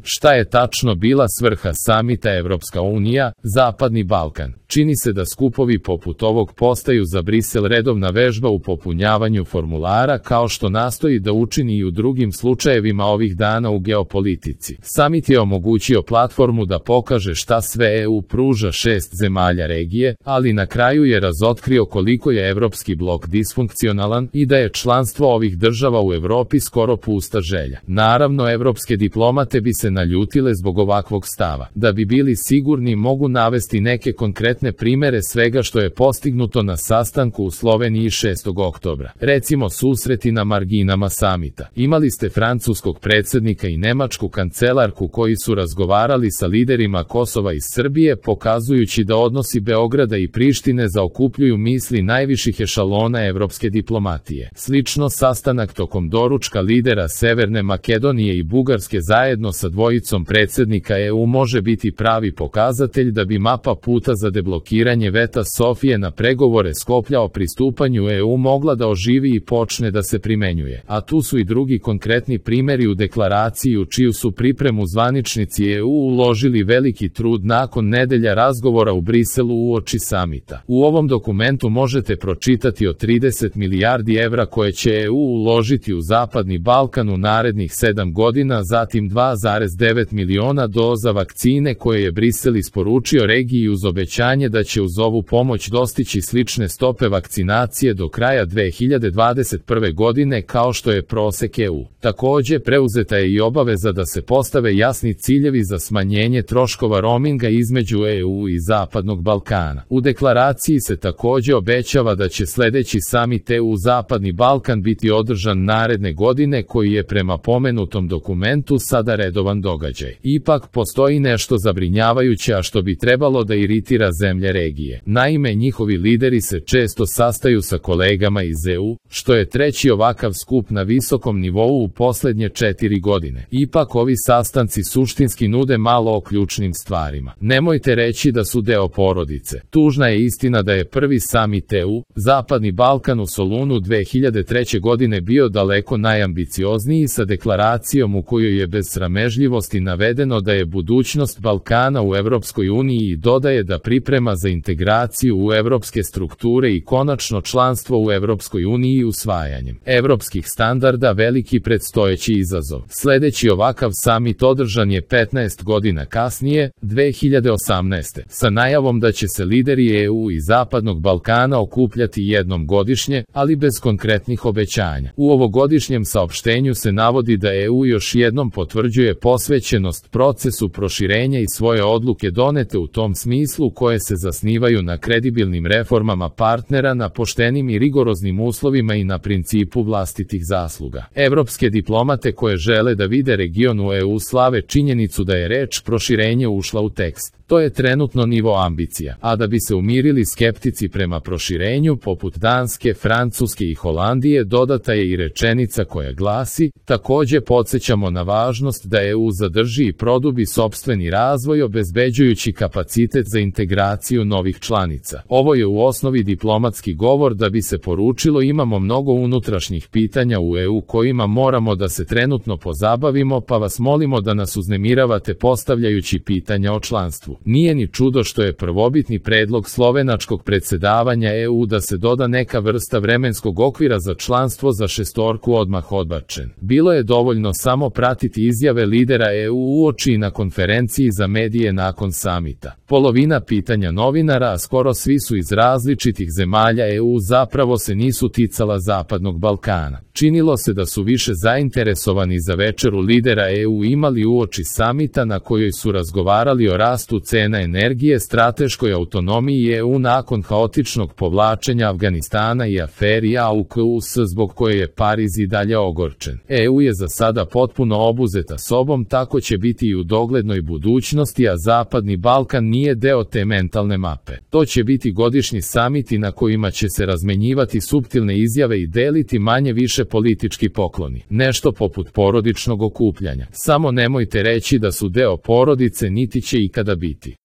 Šta je tačno bila svrha samita Evropska unija, Zapadni Balkan? Čini se da skupovi poput ovog postaju za Brisel redovna vežba u popunjavanju formulara, kao što nastoji da učini i u drugim slučajevima ovih dana u geopolitici. Samit je omogućio platformu da pokaže šta sve EU pruža 6 zemalja regije, ali na kraju je razotkrio koliko je evropski blok disfunkcionalan i da je članstvo ovih država u Evropi skoro pusta želja. Naravno, evropske diplomate bi se naljutile zbog ovakvog stava. Da bi bili sigurni, mogu navesti neke konkretne primere svega što je postignuto na sastanku u Sloveniji 6. oktobra. Recimo susreti na marginama samita. Imali ste francuskog predsjednika i nemačku kancelarku koji su razgovarali sa liderima Kosova iz Srbije, pokazujući da odnosi Beograda i Prištine zaokupljuju misli najviših ešalona evropske diplomatije. Slično, sastanak tokom doručka lidera Severne Makedonije i Bugarske zajedno sa dvojicom predsjednika EU može biti pravi pokazatelj da bi mapa puta za deblokiranje veta Sofije na pregovore Skoplja o pristupanju EU mogla da oživi i počne da se primenjuje. A tu su i drugi konkretni primjeri u deklaraciji u čiju su pripremu zvaničnici EU uložili veliki trud nakon nedelja razgovora u Briselu uoči samita. U ovom dokumentu možete pročitati o 30 milijardi evra koje će EU uložiti u Zapadni Balkan u narednih 7 godina, zatim 2,9 miliona doza vakcine koje je Brisel isporučio regiji uz obećanje da će uz ovu pomoć dostići slične stope vakcinacije do kraja 2021. godine kao što je prosek EU. Također, preuzeta je i obaveza da se postave jasni ciljevi za smanjenje troškova roaminga između EU i Zapadnog Balkana. U deklaraciji se također obećava da će sljedeći samit EU Zapadni Balkan biti održan naredne godine, koji je prema pomenutom dokumentu sada redovan događaj. Ipak, postoji nešto zabrinjavajuće, a što bi trebalo da iritira zemlje regije. Naime, njihovi lideri se često sastaju sa kolegama iz EU, što je treći ovakav skup na visokom nivou u posljednje 4 godine. Ipak, ovi sastanci suštinski nude malo o ključnim stvarima. Nemojte reći da su deo porodice. Tužna je istina da je prvi samit EU, Zapadni Balkan u Solunu 2003. godine bio daleko najambiciozniji, sa deklaracijom u kojoj je bez sramežljivosti navedeno da je budućnost Balkana u Evropskoj uniji i dodaje da priprema za integraciju u evropske strukture i konačno članstvo u Evropskoj uniji usvajanjem evropskih standarda veliki predstojeći izazov. Sljedeći ovakav samit održan je 15 godina kasnije, 2018. sa najavom da će se lideri EU i Zapadnog Balkana okupljati jednom godišnje, ali bez konkretnih obećanja. U ovogodišnjem saopštenju se navodi da EU još jednom potvrđuje posvećenost procesu proširenja i svoje odluke donete u tom smislu koje se zasnivaju na kredibilnim reformama partnera, na poštenim i rigoroznim uslovima i na principu vlastitih zasluga. Evropske diplomate koje žele da vide region u EU slave činjenicu da je reč proširenje ušla u tekst. To je trenutno nivo ambicija, a da bi se umirili skeptici prema proširenju poput Danske, Francuske i Holandije, dodata je i rečenica koja glasi: također podsjećamo na važnost da EU zadrži i produbi sopstveni razvoj obezbeđujući kapacitet za integraciju novih članica. Ovo je u osnovi diplomatski govor da bi se poručilo: imamo mnogo unutrašnjih pitanja u EU kojima moramo da se trenutno pozabavimo, pa vas molimo da nas uznemiravate postavljajući pitanja o članstvu. Nije ni čudo što je prvobitni predlog slovenačkog predsjedavanja EU da se doda neka vrsta vremenskog okvira za članstvo za šestorku odmah odbačen. Bilo je dovoljno samo pratiti izjave lidera EU uoči na konferenciji za medije nakon samita. Polovina pitanja novinara, a skoro svi su iz različitih zemalja EU, zapravo se nisu ticala Zapadnog Balkana. Činilo se da su više zainteresovani za večeru lidera EU imali uoči samita na kojoj su razgovarali o rastu cena energije, strateškoj autonomiji EU nakon haotičnog povlačenja Afganistana i aferi AUKUS zbog koje je Pariz i dalje ogorčen. EU je za sada potpuno obuzeta sobom, tako će biti i u doglednoj budućnosti, a Zapadni Balkan nije deo te mentalne mape. To će biti godišnji samiti na kojima će se razmenjivati suptilne izjave i deliti manje više politički pokloni. Nešto poput porodičnog okupljanja. Samo nemojte reći da su deo porodice, niti će ikada biti.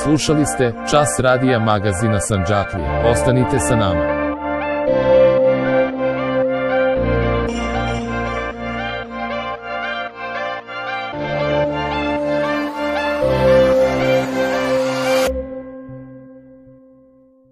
Slušali ste Čas radija magazina Sandžaklija. Ostanite sa nama.